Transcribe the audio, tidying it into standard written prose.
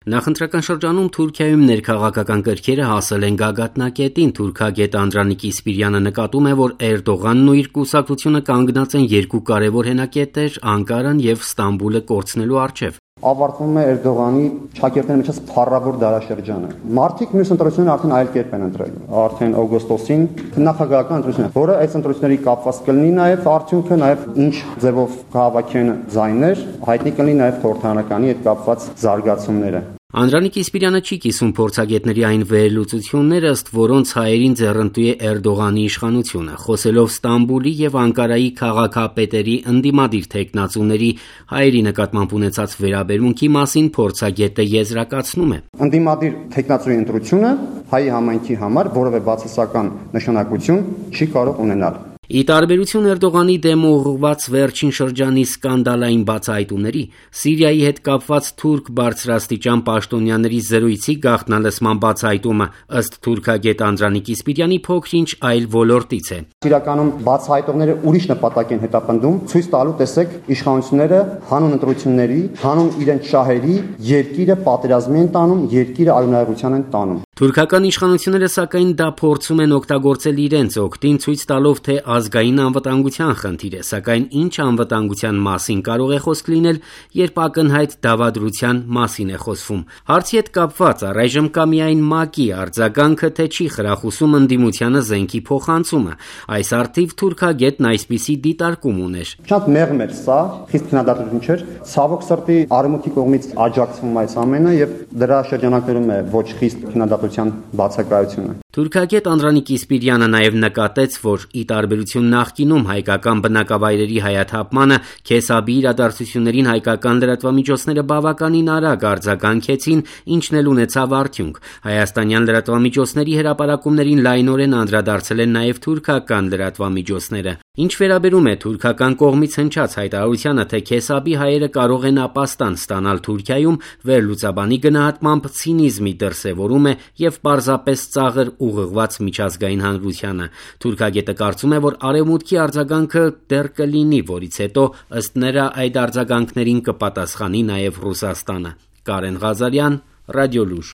Նախընտրական շրջանում Թուրքիայում ներքաղաքական կրքերը հասել են գագաթնակետին։ Թուրքագետ Անդրանիկ Իսպիրյանը նկատում է, որ Էրդողանն ու իր կուսակցությունը կանգնած են երկու կարևոր հենակետեր՝ Անկարան եւ Ստամբուլը կորցնելու առջեւ։ Ավարտվում է Էրդողանի շակերտների միջից փառավոր դարաշրջանը։ Մարտիկ մյուս ընտրությունները արդեն այլ կերպ են ընտրել։ Արդեն օգոստոսին նախագահական ընտրությունն է, որը այս ընտրությունների կապված կլինի նաև արդյունքը, նաև ինչ ձևով կհավաքեն ձայներ, հայտնի կլինի նաև խորհրդարանականի հետ կապված զարգացումները։ Անդրանիկ Իսպիրյանը չի կիսում փորձագետների այն վերլուծությունները, ըստ որոնց հայերին ձեռնտու է Էրդողանի իշխանությունը։ Խոսելով Ստամբուլի եւ Անկարայի քաղաքապետերի ընդդիմադիր թեկնածուների հայերի նկատմամբ ունեցած վերաբերմունքի մասին փորձագետը եզրակացնում է. Ընդդիմադիր թեկնածուի ընտրությունը հայի համայնքի համար որևէ բացասական նշանակություն չի կարող ունենալ։ Ի տարբերություն Էրդողանի դեմ ուղղված վերջին շրջանի սկանդալային բացահայտումների, Սիրիայի հետ կապված թուրք բարձրաստիճան պաշտոնյաների զրույցի գաղտնալսման բացահայտումը ըստ թուրքագետ Անդրանիկ Իսպիրյանի փոքր-ինչ այլ ոլորտից է։ Իրականում բացահայտողները ուրիշ նպատակ են հետապնդում, ցույց տալու տեսեք իշխանությունները հանուն ընտրությունների, հանուն իրենց շահերի երկիրը պատերազմի են տանում, երկիրը արյունահեղության են տանում։ Թուրքական իշխանությունները սակայն դա փորձում են օգտագործել իրենց օգտին, ցույց տալով, թե ազգային անվտանգության խնդիր է, սակայն ինչ անվտանգության մասին կարող է խոսք լինել, երբ ակնհայտ դավադրության մասին է խոսվում։ Հարցի հետ կապված առայժմ կա միայն ՄԱԿ-ի արձագանքը, թե չի խրախուսում ընդդիմությանը զենքի փոխանցումը։ Այս առթիվ թուրքագետն այսպիսի դիտարկում ուներ. Շատ մեղմ էր սա, խիստ քննադատություն չէր։ Ցավոք սրտի Արևմուտքի կողմից աջակցվում այս ամենը եւ դրա շրջանակներում է ոչ խիստ քննադատության բացակայությունը։ Թուրքագետ Անդրանիկ Իսպիրյանը նաև նկատեց, որ ի տարբերություն նախկինում հայկական բնակավայրերի հայաթափմանը Քեսաբի իրադարձություններին հայկական լրատվամիջոցները բավականին արագ արձագանքեցին, ինչն էլ ունեցավ արդյունք։ Հայաստանյան լրատվամիջոցների հրապարակումներին լայնորեն անդրադարձել են նաև թուրքական լրատվամիջոցները։ Ինչ վերաբերում է թուրքական կողմից հնչած հայտարարությանը, թե Քեսաբի հայերը կարող են ապաստան ստանալ Թուրքիայում, վերլուծաբանի գնահատմամբ ցինիզմի դրսևորում է եւ պարզապես ծաղր ուղղված միջազգային հանրությանը։ Թուրքագետը կարծում է, որ Արևմուտքի արձագանքը դեռ կլինի, որից հետո ըստ նրա այդ արձագանքներին կպատասխանի նաև Ռուսաստանը։ Կարեն Ղազարյան, Ռադիոլուր։